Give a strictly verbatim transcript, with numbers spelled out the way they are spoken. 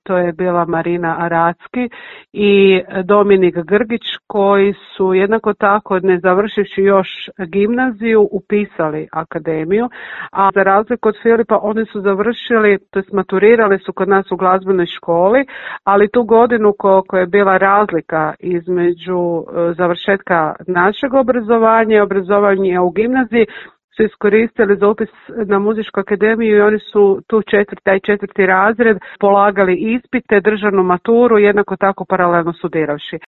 to je bila Marina Aracki i Dominik Grgić, koji su jednako tako, ne završivši još gimnaziju, upisali akademiju, a za razliku od Filipa oni su završili, to jest maturirali su kod nas u glazbenoj školi, ali tu godinu koliko je bila razlika između završetka našeg obrazovanja i obrazovanja u gimnaziji, su iskoristili za upis na muzičku akademiju i oni su tu četvrti, taj četvrti razred polagali ispite, državnu maturu, jednako tako paralelno studiravši.